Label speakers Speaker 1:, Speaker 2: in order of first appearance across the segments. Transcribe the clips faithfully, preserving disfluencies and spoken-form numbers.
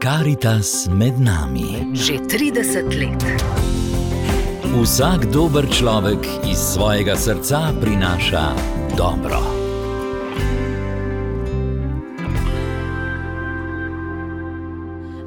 Speaker 1: Karitas med nami.
Speaker 2: Že trideset let.
Speaker 1: Vsak dober človek iz svojega srca prinaša dobro.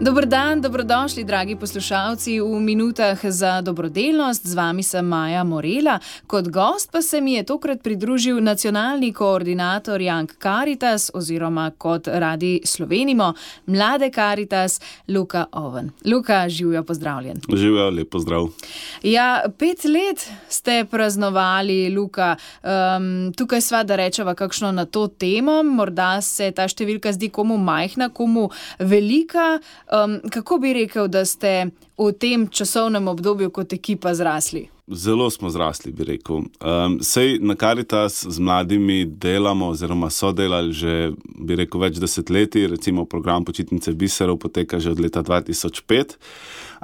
Speaker 3: Dober dan, dobrodošli, dragi poslušalci, v minutah za dobrodelnost. Z vami sem Maja Morela. Kot gost pa se mi je tokrat pridružil nacionalni koordinator Young Caritas oziroma kot radi slovenimo Mlade Caritas, Luka Oven. Luka, živjo, pozdravljen.
Speaker 4: Živjo, lep pozdrav.
Speaker 3: Ja, pet let ste praznovali, Luka. Um, tukaj sva, da rečeva kakšno na to temo. Morda se ta številka zdi komu majhna, komu velika. Um, kako bi rekel, da ste v tem časovnem obdobju kot ekipa zrasli?
Speaker 4: Zelo smo zrasli, bi rekel. Um, sej na Caritas z mladimi delamo oziroma so delali že, bi rekel, več desetletij. Recimo program Počitnice biserov poteka že od leta dva tisoč pet.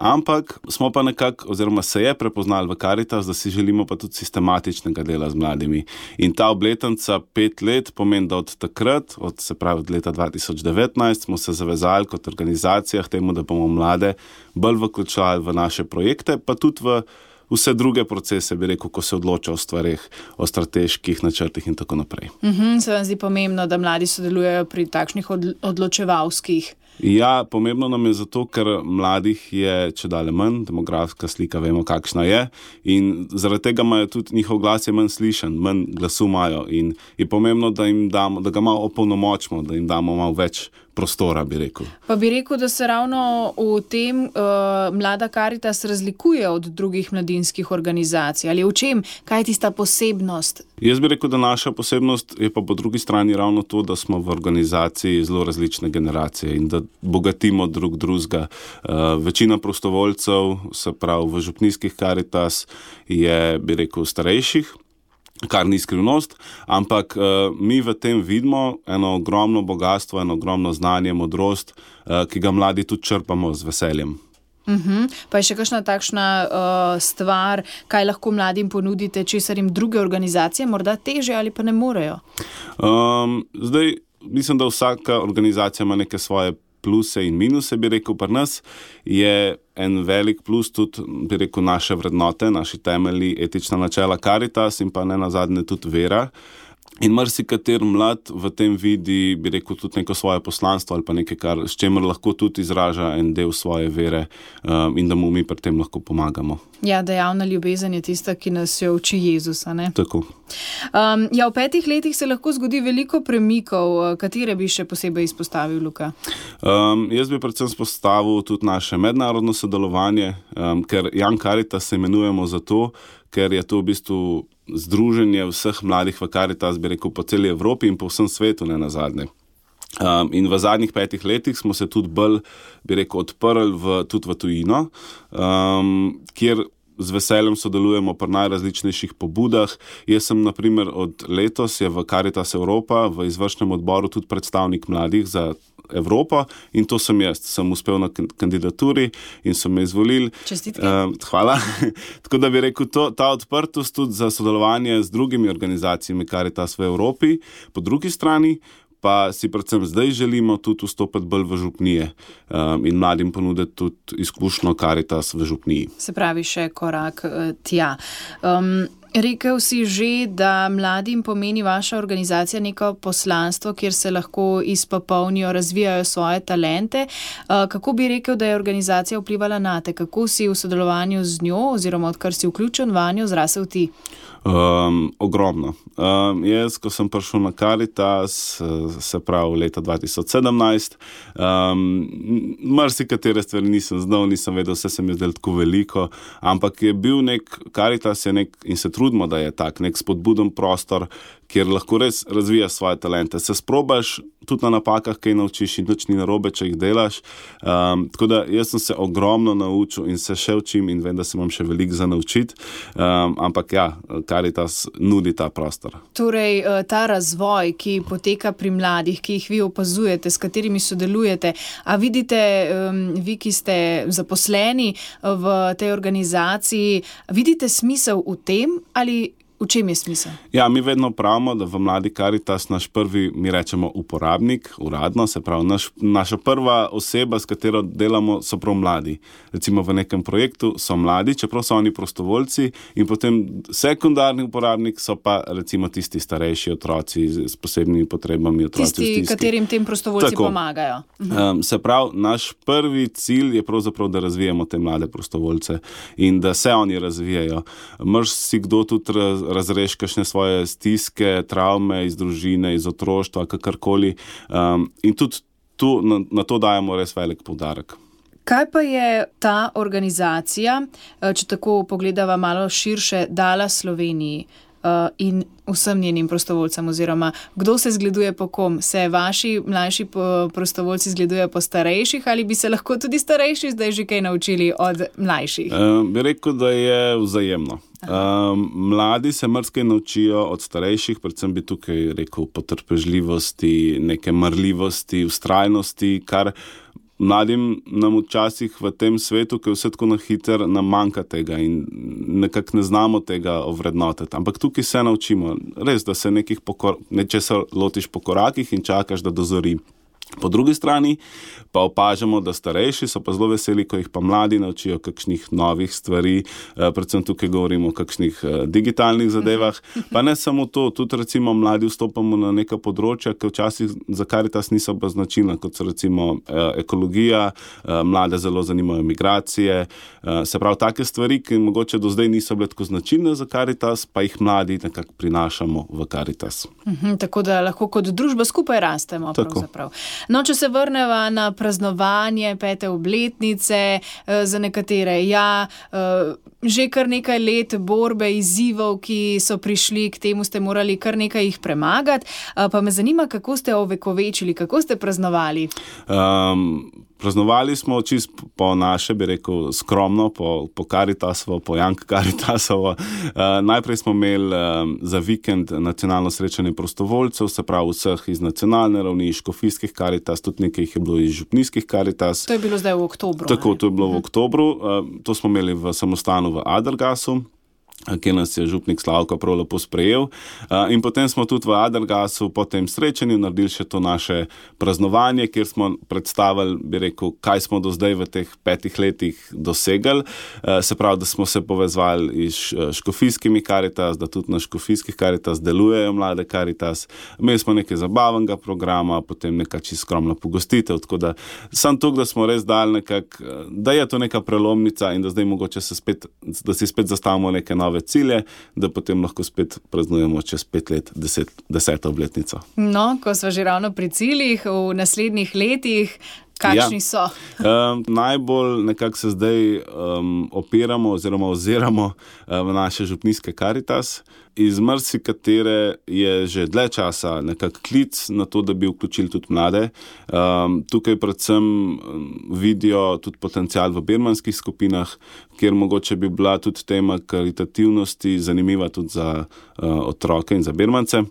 Speaker 4: Ampak smo pa nekako, oziroma se je prepoznali v Caritas, da si želimo pa tudi sistematičnega dela z mladimi. In ta obletnica pet let pomeni, da od takrat, od, se pravi od leta dva tisoč devetnajst, smo se zavezali kot organizacija k temu, da bomo mlade bolj vključevali v naše projekte, pa tudi v vse druge procese, bi rekel, ko se odloča o stvareh, o strateških načrtih in tako naprej.
Speaker 3: Uh-huh, se vam zdi pomembno, da mladi sodelujejo pri takšnih odločevalskih?
Speaker 4: Ja, pomembno nam je zato, ker mladih je čedalje manj, demografska slika vemo, kakšna je, in zaradi tega imajo tudi njihov glas je manj slišen, manj glasu imajo in je pomembno, da jim damo, da ga malo opolnomočimo, da jim damo malo več prostora, bi rekel.
Speaker 3: Pa bi rekel, da se ravno v tem uh, Mlada Caritas razlikuje od drugih mladinskih organizacij, ali v čem, kaj je tista posebnost?
Speaker 4: Jaz bi rekel, da naša posebnost je pa po drugi strani ravno to, da smo v organizaciji zelo različne generacije in da bogatimo drug drugega. Uh, večina prostovoljcev, se pravi v župnijskih Caritas, je, bi rekel, starejših, kar ni skrivnost, ampak uh, mi v tem vidimo eno ogromno bogatstvo, eno ogromno znanje, modrost, uh, ki ga mladi tudi črpamo z veseljem.
Speaker 3: Uh-huh. Pa je še kakšna takšna uh, stvar, kaj lahko mladim ponudite, česar jim druge organizacije morda teže ali pa ne morejo?
Speaker 4: Um, zdaj, mislim, da vsaka organizacija ima neke svoje pluse in minuse, bi rekel, pri nas je en velik plus tudi, bi rekel, naše vrednote, naši temelji, etična načela Caritas in pa ne nazadnje tudi vera. In marsikater mlad v tem vidi, bi rekel, tudi neko svoje poslanstvo ali pa nekaj, kar, s čemer lahko tudi izraža en del svoje vere um, in da mu mi pri tem lahko pomagamo.
Speaker 3: Ja, dejavna ljubezen je tista, ki nas jo uči Jezusa, ne?
Speaker 4: Tako.
Speaker 3: Um, ja, v petih letih se lahko zgodi veliko premikov. Katere bi še posebej izpostavil, Luka?
Speaker 4: Um, jaz bi predvsem izpostavil tudi naše mednarodno sodelovanje, um, ker Young Caritas se imenujemo zato, ker je to v bistvu združenje vseh mladih v Caritas, bi rekel, po celi Evropi in po vsem svetu, ne nazadnje. Um, in v zadnjih petih letih smo se tudi bolj, bi rekel, odprli v, tudi v tujino, um, kjer z veseljem sodelujemo pri najrazličnejših pobudah. Jaz sem, na primer, od letos je v Caritas Evropa v izvršnem odboru tudi predstavnik mladih za Evropo in to sem jaz. Sem uspel na kandidaturi in so me izvolili.
Speaker 3: Čestitke.
Speaker 4: Uh, hvala. Tako da bi rekel, to, ta odprtost tudi za sodelovanje z drugimi organizacijami Caritas v Evropi. Po drugi strani pa si predvsem zdaj želimo tudi vstopiti bolj v župnije um, in mladim ponuditi tudi izkušnjo Caritas v župniji.
Speaker 3: Se pravi še korak uh, tja. Um, rekel si že, da mladim pomeni vaša organizacija neko poslanstvo, kjer se lahko izpopolnijo, razvijajo svoje talente. Uh, kako bi rekel, da je organizacija vplivala na te? Kako si v sodelovanju z njo oziroma odkar si vključen vanjo zrasel ti?
Speaker 4: Um, ogromno. Um, jaz, ko sem prišel na Caritas, se pravi leta dva tisoč sedemnajst, um, marsikatere stvari nisem znal, nisem vedel, vse se mi zdelo tako veliko, ampak je bil nek, Caritas je nek, in se trudimo, da je tak, nek spodbuden prostor, kjer lahko res razvijaš svoje talente. Se sprobaš tudi na napakah, kaj naučiš in nič ni narobe, če jih delaš. Um, tako da jaz sem se ogromno naučil in se še učim in vem, da se imam še veliko za naučiti. Um, ampak ja, Caritas nudi ta prostor.
Speaker 3: Torej, ta razvoj, ki poteka pri mladih, ki jih vi opazujete, s katerimi sodelujete, a vidite, um, vi, ki ste zaposleni v tej organizaciji, vidite smisel v tem ali V čem je smisel?
Speaker 4: Ja, mi vedno pravimo, da v Mladi Karitas naš prvi, mi rečemo uporabnik, uradno, se pravi, naš, naša prva oseba, s katero delamo, so prav mladi. Recimo v nekem projektu so mladi, čeprav so oni prostovoljci, in potem sekundarni uporabnik so pa recimo tisti starejši otroci s posebnimi potrebami, otroci
Speaker 3: tisti,
Speaker 4: v stiski.
Speaker 3: katerim tem prostovoljci
Speaker 4: Tako.
Speaker 3: pomagajo.
Speaker 4: Um, se pravi, naš prvi cilj je pravzaprav, da razvijemo te mlade prostovoljce in da se oni razvijajo. Mrš si kdo tudi raz, razreš kakšne svoje stiske, travme iz družine, iz otroštva, kakorkoli. Um, in tudi tu, na, na to dajemo res velik poudarek.
Speaker 3: Kaj pa je ta organizacija, če tako pogledava malo širše, dala Sloveniji uh, in vsem njenim prostovoljcem, oziroma kdo se zgleduje po kom? Se vaši mlajši prostovoljci zgledujejo po starejših ali bi se lahko tudi starejši zdaj že kaj naučili od mlajših?
Speaker 4: Um, bi rekel, da je vzajemno. Um, mladi se marsikaj naučijo od starejših, predvsem bi tukaj rekel potrpežljivosti, neke marljivosti, vztrajnosti, kar mladim nam včasih v tem svetu, ki je vse tako na hiter, nam manjka tega in nekako ne znamo tega ovrednotiti. Ampak tukaj se naučimo, res, da se nekih pokor, nečesa lotiš po korakih in čakaš, da dozori. Po drugi strani pa opažamo, da starejši so pa zelo veseli, ko jih pa mladi naučijo kakšnih novih stvari, predvsem tukaj govorimo o kakšnih digitalnih zadevah, pa ne samo to, tudi recimo mladi vstopamo na neka področja, ki včasih za Karitas niso pa značilna, kot so recimo ekologija, mlade zelo zanimajo migracije, se pravi take stvari, ki mogoče do zdaj niso bile tako značilne za Karitas, pa jih mladi nekako prinašamo v Karitas.
Speaker 3: Mhm, tako da lahko kot družba skupaj rastemo pravzaprav. No, če se vrneva na praznovanje pete obletnice, za nekatere, ja, že kar nekaj let borbe, izzivov, ki so prišli, k temu ste morali kar nekaj jih premagati, pa me zanima, kako ste ovekovečili, kako ste praznovali? Um,
Speaker 4: Praznovali smo čist po naše, bi rekel, skromno, po, po Karitasovo, po Jank Karitasovo. Uh, najprej smo imeli um, za vikend nacionalno srečanje prostovoljcev, se pravi vseh iz nacionalne ravni, škofijskih Karitas, tudi nekaj jih je bilo iz župnijskih Karitas.
Speaker 3: To je bilo zdaj v oktobru.
Speaker 4: Tako, to je bilo v oktobru. Uh, to smo imeli v samostanu v Adelgasu, kjer nas je župnik Slavko prav lepo sprejel. In potem smo tudi v Adelgasu po tem srečanju naredili še to naše praznovanje, kjer smo predstavili, bi rekel, kaj smo do zdaj v teh petih letih dosegali. Se pravi, da smo se povezvali iz škofijskimi Karitas, da tudi na škofijskih Karitas delujejo mlade Karitas. Imeli smo nekaj zabavnega programa, potem neka čisto skromna pogostitev, tako da sam to, da smo res dali nekako, da je to neka prelomnica in da zdaj mogoče se spet, da si spet zastavimo neke nove cilje, da potem lahko spet praznujemo čez pet let, deset, deseto obletnico.
Speaker 3: No, ko smo že ravno pri ciljih, v naslednjih letih, kakšni ja. so?
Speaker 4: Um, najbolj nekako se zdaj um, opiramo oziroma oziramo uh, v naše župnijske Karitas. Iz marsikatere je že dlje časa nekak klic na to, da bi vključili tudi mlade. Um, tukaj predvsem vidijo tudi potencial v birmanskih skupinah, kjer mogoče bi bila tudi tema karitativnosti zanimiva tudi za uh, otroke in za birmance.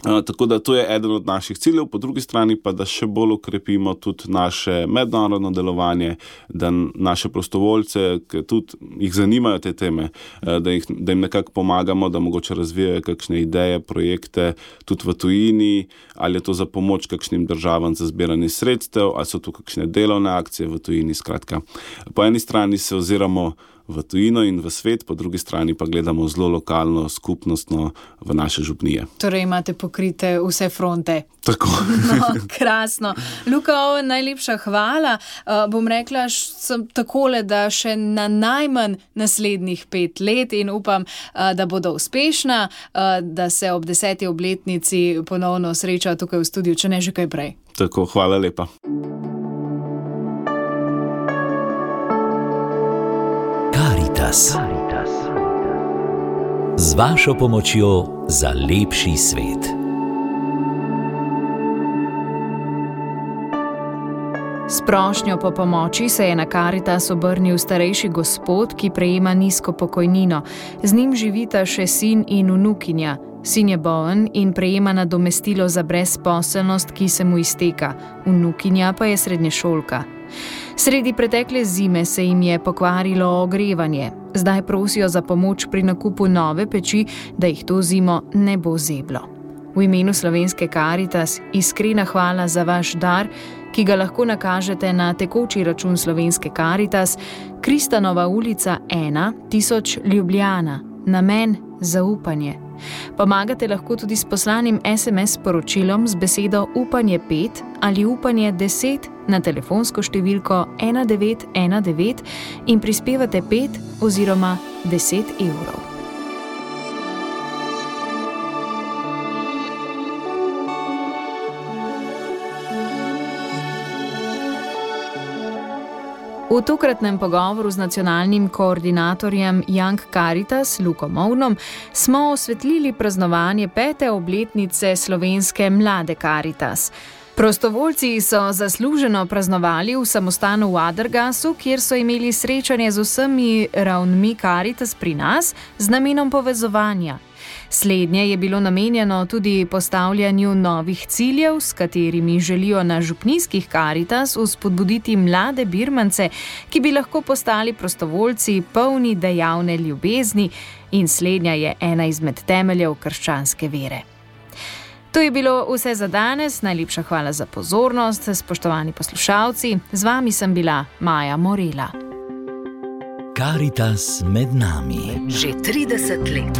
Speaker 4: Uh, tako da to je eden od naših ciljev, po drugi strani pa, da še bolj ukrepimo tudi naše mednarodno delovanje, da naše prostovoljce, ki tudi jih zanimajo te teme, uh, da, jih, da jim nekako pomagamo, da mogoče razvijajo kakšne ideje, projekte tudi v tujini, ali je to za pomoč kakšnim državam za zbiranje sredstev, ali so to kakšne delovne akcije v tujini, skratka. Po eni strani se oziramo v tujino in v svet, po drugi strani pa gledamo zelo lokalno, skupnostno v naše župnije.
Speaker 3: Torej imate pokrite vse fronte.
Speaker 4: Tako.
Speaker 3: No, krasno. Luka Oven, najlepša hvala. Uh, bom rekla sem takole, da še na najmanj naslednjih pet let in upam, uh, da bodo uspešna, uh, da se ob deseti obletnici ponovno sreča tukaj v studiu, če ne že kaj prej.
Speaker 4: Tako, hvala lepa.
Speaker 1: Karitas. Z vašo pomočjo za lepši svet.
Speaker 3: S prošnjo po pomoči se je na Karitas obrnil starejši gospod, ki prejema nizko pokojnino. Z njim živita še sin in vnukinja. Sin je bolen in prejema nadomestilo za brezposelnost, ki se mu izteka. Vnukinja pa je srednješolka. Sredi pretekle zime se jim je pokvarilo ogrevanje. Zdaj prosijo za pomoč pri nakupu nove peči, da jih to zimo ne bo zeblo. V imenu Slovenske Karitas iskrena hvala za vaš dar, ki ga lahko nakažete na tekoči račun Slovenske Karitas, Kristanova ulica ena, tisoč Ljubljana, namen zaupanje. Pomagate lahko tudi s poslanim es em es sporočilom z besedo upanje pet ali upanje deset na telefonsko številko ena devet ena devet in prispevate pet oziroma deset evrov. V tokratnem pogovoru z nacionalnim koordinatorjem Young Caritas Luko Movnom smo osvetlili praznovanje pete obletnice slovenske mlade Caritas. Prostovoljci so zasluženo praznovali v samostanu v Adragasu, kjer so imeli srečanje z vsemi ravnmi Caritas pri nas z namenom povezovanja. Slednje je bilo namenjeno tudi postavljanju novih ciljev, s katerimi želijo na župnijskih Caritas vzpodbuditi mlade Birmance, ki bi lahko postali prostovoljci polni dejavne ljubezni, in slednja je ena izmed temeljev krščanske vere. To je bilo vse za danes. Najlepša hvala za pozornost, spoštovani poslušalci. Z vami sem bila Maja Morela.
Speaker 1: Caritas med nami.
Speaker 2: Že trideset let.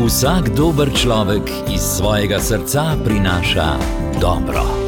Speaker 1: Vsak dober človek iz svojega srca prinaša dobro.